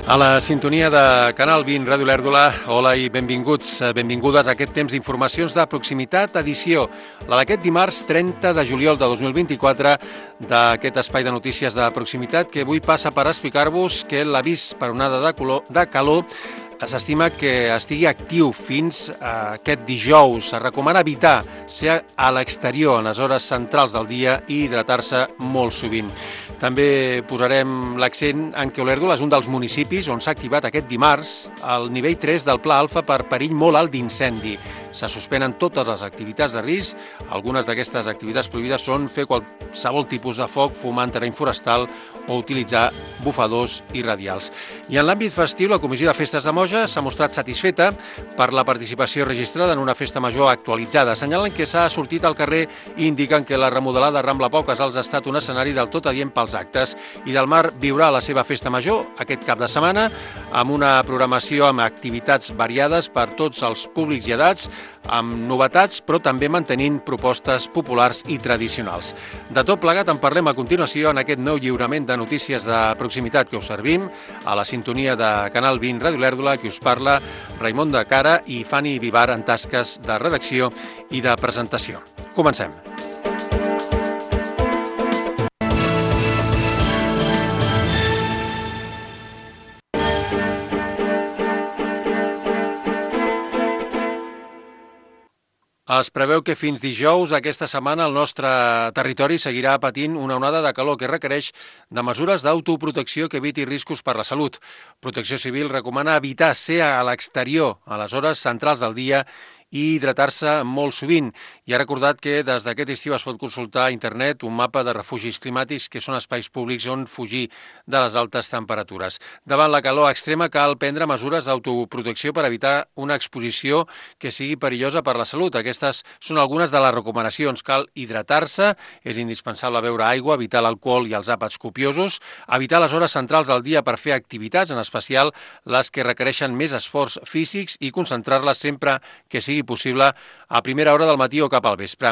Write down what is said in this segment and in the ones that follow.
A la sintonia de Canal 20, Ràdio Lèrdula, hola i benvinguts, benvingudes a aquest temps d'informacions de proximitat, edició, la d'aquest dimarts 30 de juliol de 2024, d'aquest espai de notícies de proximitat que avui passa per explicar-vos que l'avís per onada de calor s'estima que estigui actiu fins a aquest dijous. Es recomana evitar ser a l'exterior en les hores centrals del dia i hidratar-se molt sovint. També posarem l'accent en que Olèrdola és un dels municipis on s'ha activat aquest dimarts el nivell 3 del Pla Alfa per perill molt alt d'incendi. Se suspenen totes les activitats de risc. Algunes d'aquestes activitats prohibides són fer qualsevol tipus de foc, fumar en terreny forestal o utilitzar bufadors i radials. I en l'àmbit festiu, la Comissió de Festes de Moja s'ha mostrat satisfeta per la participació registrada en una festa major actualitzada. Assenyalen que s'ha sortit al carrer i indiquen que la remodelada Rambla Pau Casals ha estat un escenari del tot adient pels actes i del Mar viurà la seva festa major aquest cap de setmana amb una programació amb activitats variades per tots els públics i edats, amb novetats, però també mantenint propostes populars i tradicionals. De tot plegat en parlem a continuació en aquest nou lliurament de notícies de proximitat que us servim a la sintonia de Canal 20 Ràdio Lèrdula, que us parla Raimon de Cara i Fanny Vivar en tasques de redacció i de presentació. Comencem. Es preveu que fins dijous d'aquesta setmana el nostre territori seguirà patint una onada de calor que requereix de mesures d'autoprotecció que eviti riscos per la salut. Protecció Civil recomana evitar ser a l'exterior a les hores centrals del dia i hidratar-se molt sovint. I ha recordat que des d'aquest estiu es pot consultar a internet un mapa de refugis climàtics que són espais públics on fugir de les altes temperatures. Davant la calor extrema cal prendre mesures d'autoprotecció per evitar una exposició que sigui perillosa per la salut. Aquestes són algunes de les recomanacions. Cal hidratar-se, és indispensable beure aigua, evitar l'alcohol i els àpats copiosos, evitar les hores centrals del dia per fer activitats, en especial les que requereixen més esforç físics, i concentrar-les sempre que sigui possible a primera hora del matí o cap al vespre.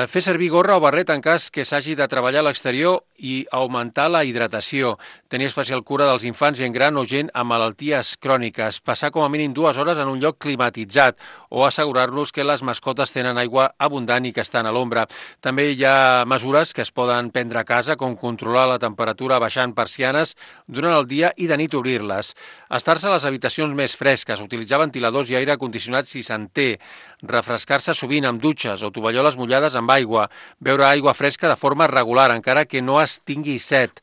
Fer servir gorra o barret en cas que s'hagi de treballar a l'exterior i augmentar la hidratació. Tenir especial cura dels infants, gent gran o gent amb malalties cròniques. Passar com a mínim 2 hores en un lloc climatitzat o assegurar-nos que les mascotes tenen aigua abundant i que estan a l'ombra. També hi ha mesures que es poden prendre a casa, com controlar la temperatura baixant persianes durant el dia i de nit obrir-les. Estar-se a les habitacions més fresques, utilitzar ventiladors i aire condicionat si se'n té, refrescar-se sovint amb dutxes o tovalloles mullades amb aigua, beure aigua fresca de forma regular, encara que no es tingui set.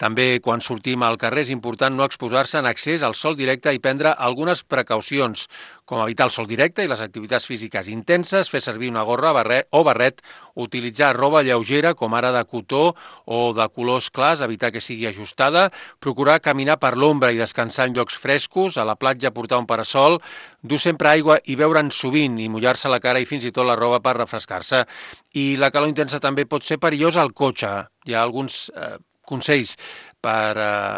També, quan sortim al carrer, és important no exposar-se en excés al sol directe i prendre algunes precaucions, com evitar el sol directe i les activitats físiques intenses, fer servir una gorra o barret, utilitzar roba lleugera, com ara de cotó o de colors clars, evitar que sigui ajustada, procurar caminar per l'ombra i descansar en llocs frescos, a la platja portar un parasol, dur sempre aigua i beure'n sovint i mullar-se la cara i fins i tot la roba per refrescar-se. I la calor intensa també pot ser perillosa al cotxe. Hi ha alguns consells per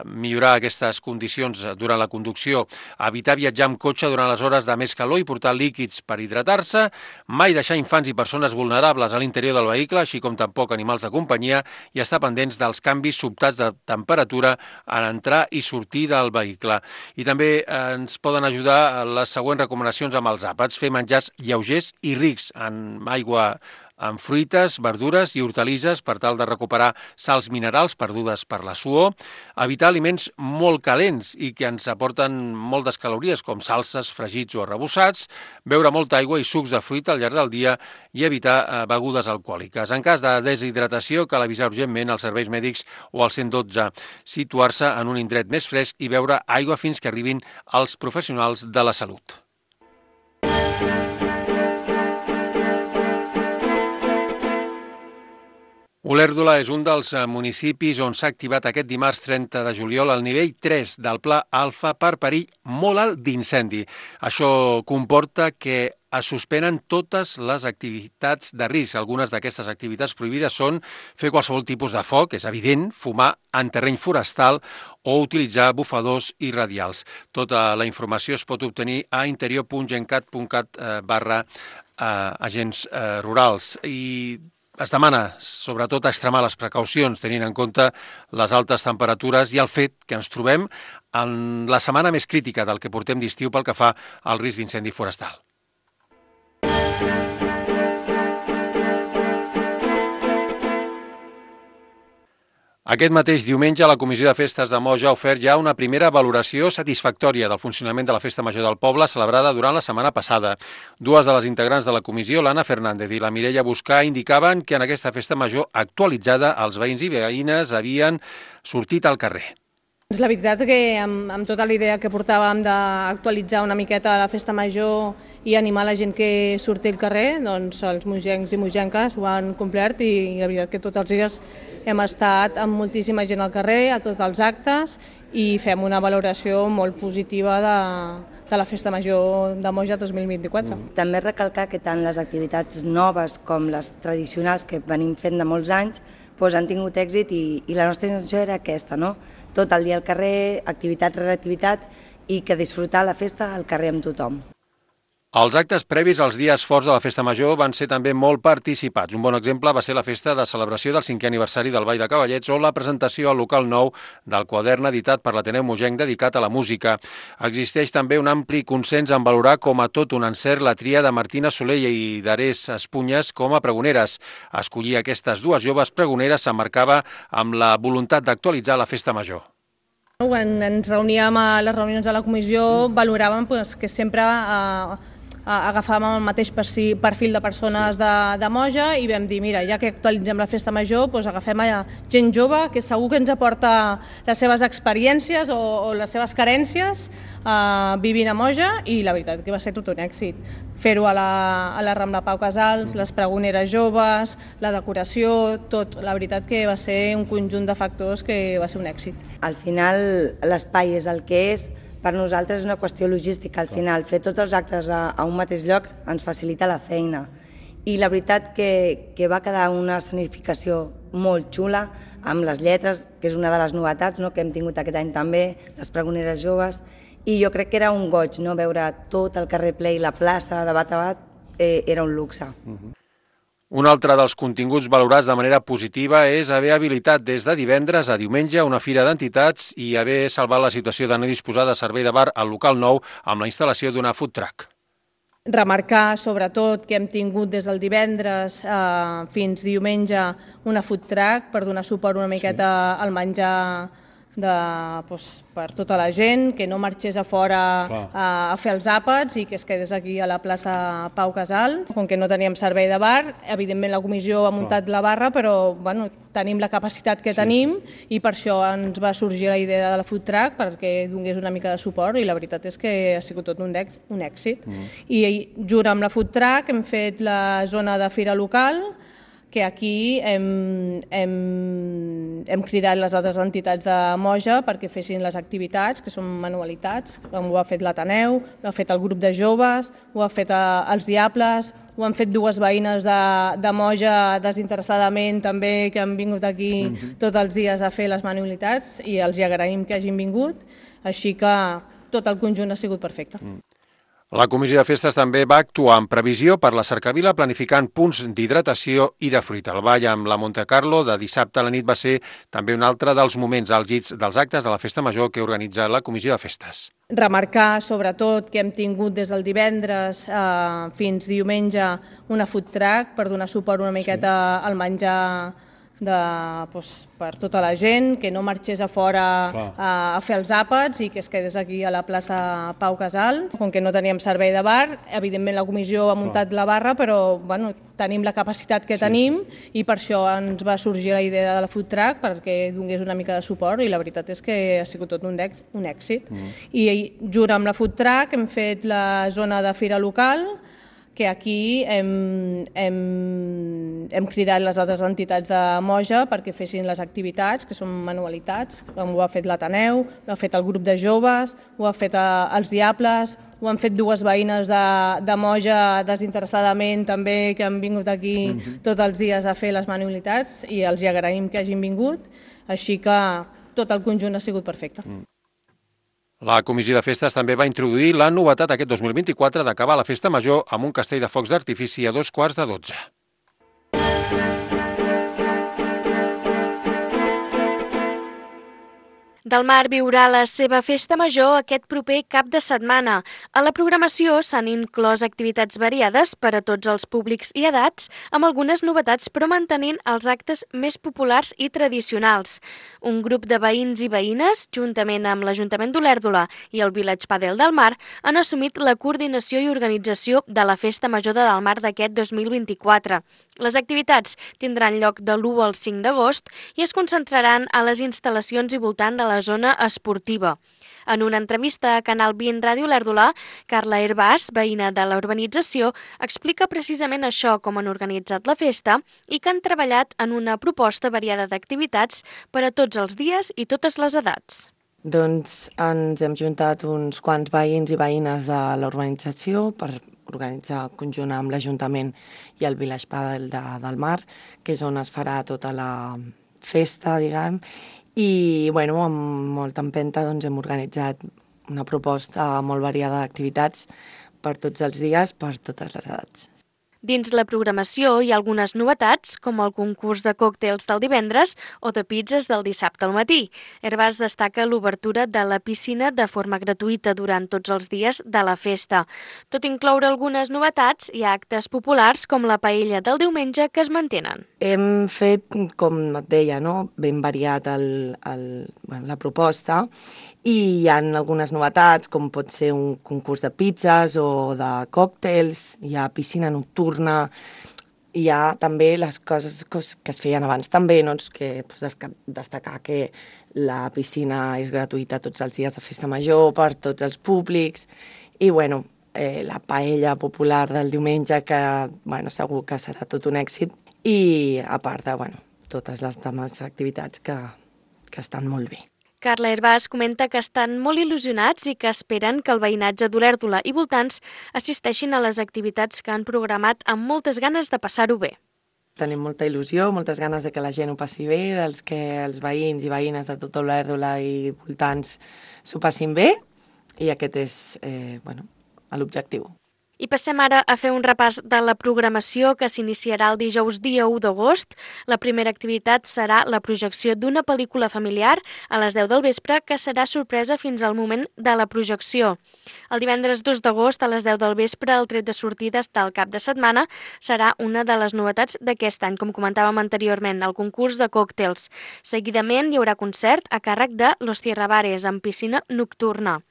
millorar aquestes condicions durant la conducció. Evitar viatjar amb cotxe durant les hores de més calor i portar líquids per hidratar-se. Mai deixar infants i persones vulnerables a l'interior del vehicle, així com tampoc animals de companyia, i estar pendents dels canvis sobtats de temperatura en entrar i sortir del vehicle. I també ens poden ajudar les següents recomanacions amb els àpats. Fer menjars lleugers i rics en aigua, amb fruites, verdures i hortalisses per tal de recuperar sals minerals perdudes per la suor, evitar aliments molt calents i que ens aporten moltes calories, com salses, fregits o arrebossats, beure molta aigua i sucs de fruita al llarg del dia i evitar begudes alcohòliques. En cas de deshidratació, cal avisar urgentment als serveis mèdics o al 112, situar-se en un indret més fresc i beure aigua fins que arribin els professionals de la salut. Olèrdola és un dels municipis on s'ha activat aquest dimarts 30 de juliol el nivell 3 del Pla Alfa per perill molt alt d'incendi. Això comporta que es suspenen totes les activitats de risc. Algunes d'aquestes activitats prohibides són fer qualsevol tipus de foc, és evident, fumar en terreny forestal o utilitzar bufadors i radials. Tota la informació es pot obtenir a interior.gencat.cat/agents rurals. I Es demana, sobretot, extremar les precaucions, tenint en compte les altes temperatures i el fet que ens trobem en la setmana més crítica del que portem d'estiu pel que fa al risc d'incendi forestal. Aquest mateix diumenge, la Comissió de Festes de Moja ha ofert ja una primera valoració satisfactòria del funcionament de la Festa Major del Poble celebrada durant la setmana passada. Dues de les integrants de la comissió, l'Anna Fernández i la Mireia Buscà, indicaven que en aquesta Festa Major actualitzada els veïns i veïnes havien sortit al carrer. La veritat que amb tota la idea que portàvem d'actualitzar una miqueta la Festa Major i animar la gent que surti al carrer, doncs els mogencs i mogenques ho han complert i la veritat que tots els dies hem estat amb moltíssima gent al carrer, a tots els actes i fem una valoració molt positiva de la Festa Major de Moja 2024. També recalcar que tant les activitats noves com les tradicionals que venim fent de molts anys han tingut èxit i la nostra intenció era aquesta, no? Tot el dia al carrer, activitat rere activitat i que disfrutar la festa al carrer amb tothom. Els actes previs als dies forts de la Festa Major van ser també molt participats. Un bon exemple va ser la festa de celebració del 5è aniversari del Ball de Cavallets o la presentació al local nou del quadern editat per l'Ateneu Mogenc dedicat a la música. Existeix també un ampli consens en valorar com a tot un encert la tria de Martina Soler i d'Arés Espunyes com a pregoneres. Escollir aquestes dues joves pregoneres s'emmarcava amb la voluntat d'actualitzar la Festa Major. Quan ens reuníem a les reunions de la comissió valoràvem que sempre agafàvem el mateix perfil de persones de Moja i vam dir, mira, ja que actualitzem la Festa Major, agafem gent jove que segur que ens aporta les seves experiències o les seves carències vivint a Moja i la veritat que va ser tot un èxit. Fer-ho a la Rambla Pau Casals, les pregoneres joves, la decoració, tot. La veritat que va ser un conjunt de factors que va ser un èxit. Al final l'espai és el que és. Per nosaltres és una qüestió logística, al final. Fer tots els actes a un mateix lloc ens facilita la feina. I la veritat que va quedar una escenificació molt xula, amb les lletres, que és una de les novetats que hem tingut aquest any també, les pregoneres joves, i jo crec que era un goig, veure tot el carrer ple i la plaça de bat a bat, era un luxe. Un altre dels continguts valorats de manera positiva és haver habilitat des de divendres a diumenge una fira d'entitats i haver salvat la situació de no disposar de servei de bar al local nou amb la instal·lació d'una food truck. Remarcar, sobretot, que hem tingut des del divendres fins diumenge una food truck per donar suport una miqueta al menjar per tota la gent, que no marxés a fora a fer els àpats i que es quedés aquí a la plaça Pau Casals. Com que no teníem servei de bar, evidentment la comissió ha muntat la barra, però tenim la capacitat que tenim i per això ens va sorgir la idea de la food truck perquè donés una mica de suport i la veritat és que ha sigut tot un èxit. I junt amb la food truck hem fet la zona de fira local, que aquí hem cridat les altres entitats de Moja perquè fessin les activitats, que són manualitats, com ho ha fet l'Ateneu, ho ha fet el grup de joves, ho ha fet els Diables, ho han fet dues veïnes de Moja desinteressadament també, que han vingut aquí tots els dies a fer les manualitats i els agraïm que hagin vingut, així que tot el conjunt ha sigut perfecte. La Comissió de Festes també va actuar en previsió per la cercavila planificant punts d'hidratació i de fruita. El ball amb la Monte Carlo de dissabte a la nit va ser també un altre dels moments àlgids dels actes de la Festa Major que organitza la Comissió de Festes. Remarcar, sobretot, que hem tingut des del divendres fins diumenge una food truck per donar suport una miqueta al menjar per tota la gent, que no marxés a fora a fer els àpats i que es quedés aquí a la plaça Pau Casals. Com que no teníem servei de bar, evidentment la comissió ha muntat la barra, però tenim la capacitat que tenim i per això ens va sorgir la idea de la food truck perquè donés una mica de suport i la veritat és que ha sigut tot un èxit. I junt amb la food truck hem fet la zona de fira local, que aquí hem cridat les altres entitats de Moja perquè fessin les activitats, que són manualitats, com ho ha fet l'Ateneu, ho ha fet el grup de joves, ho ha fet els Diables, ho han fet dues veïnes de Moja desinteressadament també, que han vingut aquí tots els dies a fer les manualitats i els agraïm que hagin vingut, així que tot el conjunt ha sigut perfecte. La Comissió de Festes també va introduir la novetat aquest 2024 d'acabar la Festa Major amb un castell de focs d'artifici a 2:15. Del Mar viurà la seva festa major aquest proper cap de setmana. A la programació s'han inclòs activitats variades per a tots els públics i edats, amb algunes novetats però mantenint els actes més populars i tradicionals. Un grup de veïns i veïnes, juntament amb l'Ajuntament d'Olèrdola i el Village Padel del Mar, han assumit la coordinació i organització de la Festa Major de Del Mar d'aquest 2024. Les activitats tindran lloc de l'1 al 5 d'agost i es concentraran a les instal·lacions i voltant de la zona esportiva. En una entrevista a Canal 20 Ràdio Olèrdola, Carla Herbàs, veïna de la urbanització, explica precisament això, com han organitzat la festa i que han treballat en una proposta variada d'activitats per a tots els dies i totes les edats. Doncs ens hem juntat uns quants veïns i veïnes de la urbanització per organitzar conjunt amb l'Ajuntament i el Village Padel del Mar, que és on es farà tota la festa, diguem, i amb molta empenta hem organitzat una proposta molt variada d'activitats per tots els dies, per totes les edats. Dins la programació hi ha algunes novetats, com el concurs de còctels del divendres o de pizzas del dissabte al matí. Herbàs destaca l'obertura de la piscina de forma gratuïta durant tots els dies de la festa. Tot incloure algunes novetats, hi ha actes populars com la paella del diumenge que es mantenen. Hem fet, com et deia, ben variat la proposta i hi ha algunes novetats, com pot ser un concurs de pizzas o de còctels, hi ha piscina nocturna, hi ha també les coses que es feien abans també, que destacar que la piscina és gratuïta tots els dies de festa major per tots els públics i la paella popular del diumenge que segur que serà tot un èxit i a part de totes les demás activitats que estan molt bé. Carla Herbàs comenta que estan molt il·lusionats i que esperen que el veïnatge d'Olèrdola i voltants assisteixin a les activitats que han programat amb moltes ganes de passar-ho bé. Tenim molta il·lusió, moltes ganes de que la gent ho passi bé, que els veïns i veïnes de tot Olèrdola i voltants s'ho passin bé i aquest és l'objectiu. I passem ara a fer un repàs de la programació que s'iniciarà el dijous dia 1 d'agost. La primera activitat serà la projecció d'una pel·lícula familiar a les 10 del vespre que serà sorpresa fins al moment de la projecció. El divendres 2 d'agost a les 10 del vespre el tret de sortides del cap de setmana serà una de les novetats d'aquest any, com comentàvem anteriorment, el concurs de còctels. Seguidament hi haurà concert a càrrec de Los Tierrabares amb piscina nocturna.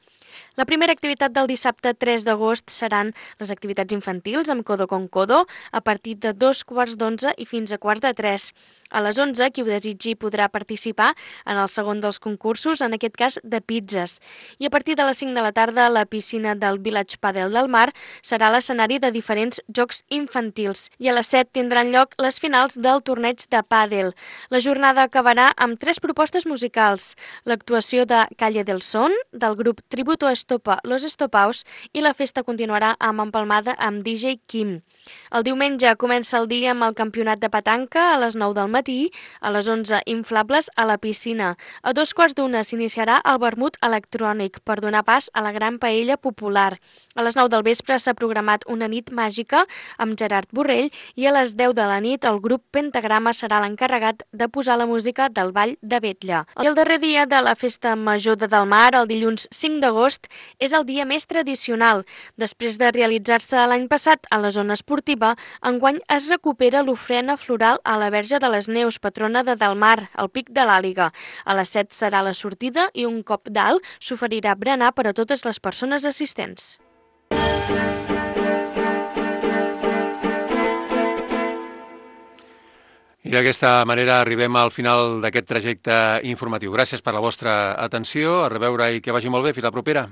La primera activitat del dissabte 3 d'agost seran les activitats infantils amb Codo con Codo a partir de 2:15 i fins a 2:45. A les 11, qui ho desitgi podrà participar en el segon dels concursos, en aquest cas de pizzas. I a partir de les 5 de la tarda, la piscina del Village Padel del Mar serà l'escenari de diferents jocs infantils. I a les 7 tindran lloc les finals del torneig de pàdel. La jornada acabarà amb 3 propostes musicals. L'actuació de Calle del Son, del grup Tributo Estopa Los Estopaus i la festa continuarà amb empalmada amb DJ Kim. El diumenge comença el dia amb el campionat de petanca a les 9 del matí, a les 11 inflables a la piscina. A 2:15 s'iniciarà el vermut electrònic per donar pas a la gran paella popular. A les 9 del vespre s'ha programat una nit màgica amb Gerard Borrell i a les 10 de la nit el grup Pentagrama serà l'encarregat de posar la música del Ball de Vetlla. I el darrer dia de la Festa Major de Del Mar, el dilluns 5 d'agost, és el dia més tradicional. Després de realitzar-se l'any passat a la zona esportiva, enguany es recupera l'ofrena floral a la Verge de les Neus, patrona de Del Mar, al Pic de l'Àliga. A les 7 serà la sortida i un cop d'alt s'oferirà berenar per a totes les persones assistents. I d'aquesta manera arribem al final d'aquest trajecte informatiu. Gràcies per la vostra atenció, a reveure i que vagi molt bé. Fins la propera.